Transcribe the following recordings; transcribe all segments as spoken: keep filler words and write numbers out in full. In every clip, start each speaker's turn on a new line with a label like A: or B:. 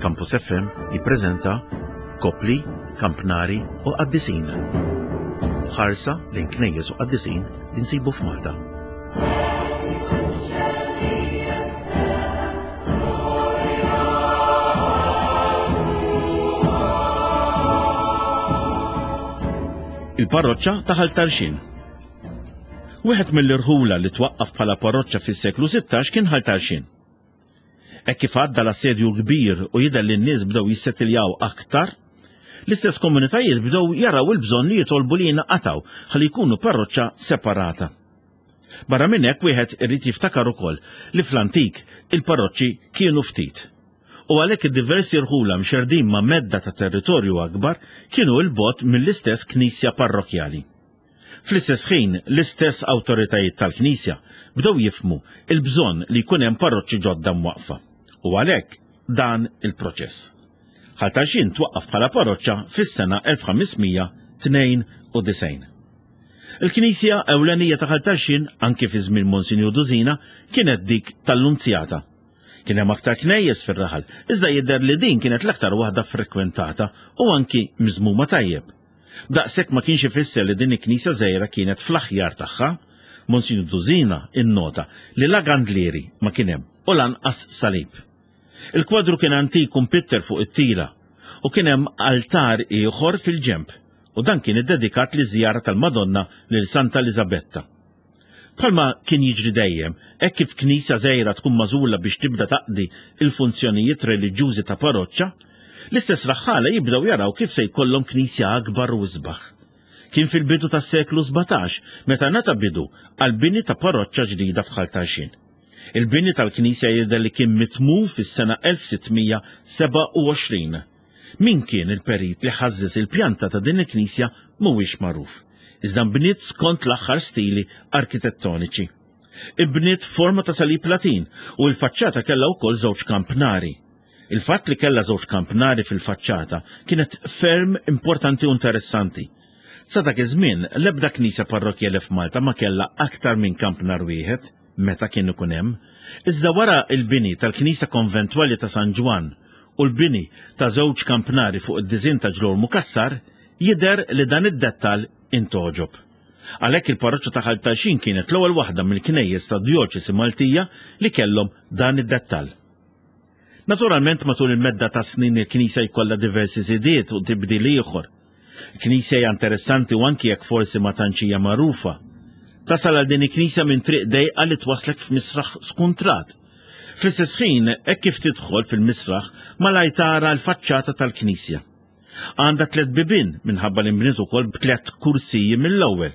A: Campus F M jippreżenta Kopli, Kampnari u Qaddisin. Ħarsa lejn knejjes u qaddisin li nsibu f'Malta. Il-parroċċa ta' Ħal Tarxien. Wieħed mill-irħula li twaqqaf bħala parroċċa fis-seklu sittax kien Ħal Tarxien. Hekk kif għadda l-assedju kbir u jidher li n-nies bdew jissettiljaw aktar, l-istess komunitajiet bdew jaraw il-bżonn li jitolbu li jinqatgħu ħalli jkunu parroċċa separata. Barra minn hekk wieħed irid jiftakar ukoll li fl-antik il-parroċċi kienu ftit. U għalhekk id-diversi rħula mxerdin ma' medda ta' territorju akbar kienu 'l bogħod mill-istess knisja parrokkjali. Fl-istess ħin, l-istess awtoritajiet tal-Knisja bdew jifhmu il-bżonn li jkun hemm parroċċi ġodda mwaqfa. U għalhekk dan il-proċess. Ħal Tarxien twaqqaf bħala parroċċa fis-sena elf ħamesmija tnejn u disgħin. Il-Knisja ewlenija ta' Ħal Tarxien anki fi żmien Monsinjur Dusina kienet dik tal-Lunzjata. Kien hemm aktar knejjes fir-raħal, iżda jidher li din kienet l-aktar waħda frekwentata u anki miżmuma tajjeb. Daqshekk ma kienx ifisser li din il-knisja żgħira kienet fl-aħjar tagħha. Monsinjur Dusina innota li la gandlieri ma kien hemm u lanqas salib. Il-kwadru kien antik u mpitter fuq it-tila u kien hemm altar ieħor fil-ġenb u dan kien iddedikat li żjara tal-Madonna lil Santa Elisabetta. Bħalma kien jiġri dejjem, hekk kif knisja żgħira tkun magħżula biex tibda taqdi il-funzjonijiet reliġjużi ta' parroċċa, l-istess raħħala jibdew jaraw kif se jkollhom knisja akbar u isbaħ. Kien fil-bidu tas-seklu sbatax meta ngħata bidu għal bini ta' parroċċa ġdida f'Ħal Tarxien. Il-bini tal-knisja jidher li kien mitmum fis-sena elf sittmija seba' u għoxrin. Min kien il-perit li ħażżes il-pjanta ta' din il-knisja mhuwiex magħruf. Iżda nbniet skont l-aħħar stili arkitettoniċi. Ibniet forma ta' salib Latin u l-faċċata kellha wkoll żewġ kampnari. Il-fatt li kellha żewġ kampnari fil-faċċata kienet ferm importanti u interessanti. Sa dak iż-żmien l-ebda knisja parrokkjali f'Malta ma kellha aktar minn kampnar wieħed meta kien ikun hemm. Iżda wara l-bini tal-Knisja Konventwali ta' San Ġwann u l-bini ta' żewġ kampnari fuq id-diżin ta' Ġlormu Cassar, jidher li dan id-dettall intoġob. Għalhekk il-parroċċa ta' Ħal Tarxien kienet l-ewwel waħda mill-knejjes ta' djoċesi Maltija li kellhom dan id-dettall. Naturalment matul il-medda ta' snin il-knisja jkollha diversi żidiet u tibdil ieħor. Il-knisja hija interessanti u anki jekk forsi ma tantx hija magħrufa. Tasal għal din il-knisja minn triq dejqa li twaslek f'misraħ skuntrat. Fl-istess ħin, hekk kif tidħol fil-misraħ, malaj tara l-faċċata tal-knisja. Għandha tliet bibien minħabba li nbniet ukoll b'tliet kursiji mill-ewwel.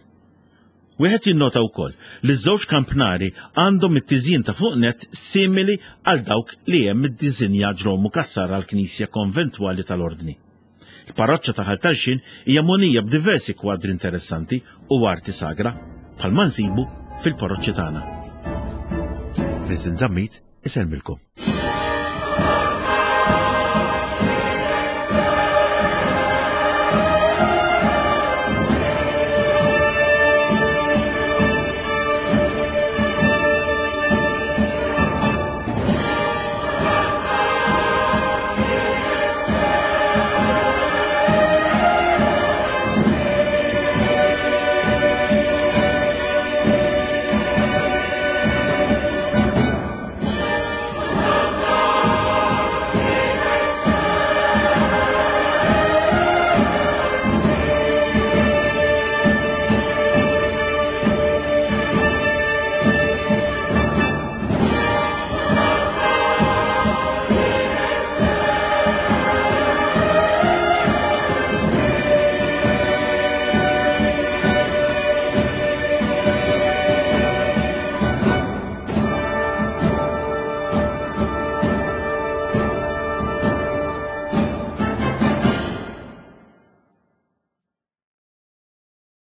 A: Wieħed jinnota wkoll li ż-żewġ kampnari għandhom it-tiżjin ta' fuq net simili għal dawk li hemm id-diżinja Ġlormu Cassar għall-Knisja Konventwali tal-Ordni. Il-parroċċa ta' Ħal Tarxien hija mogħnija b'diversi kwadri interessanti u arti sagra bħalma nsibu fil-parroċċi tagħna. Vincent Zammit isellmilkom.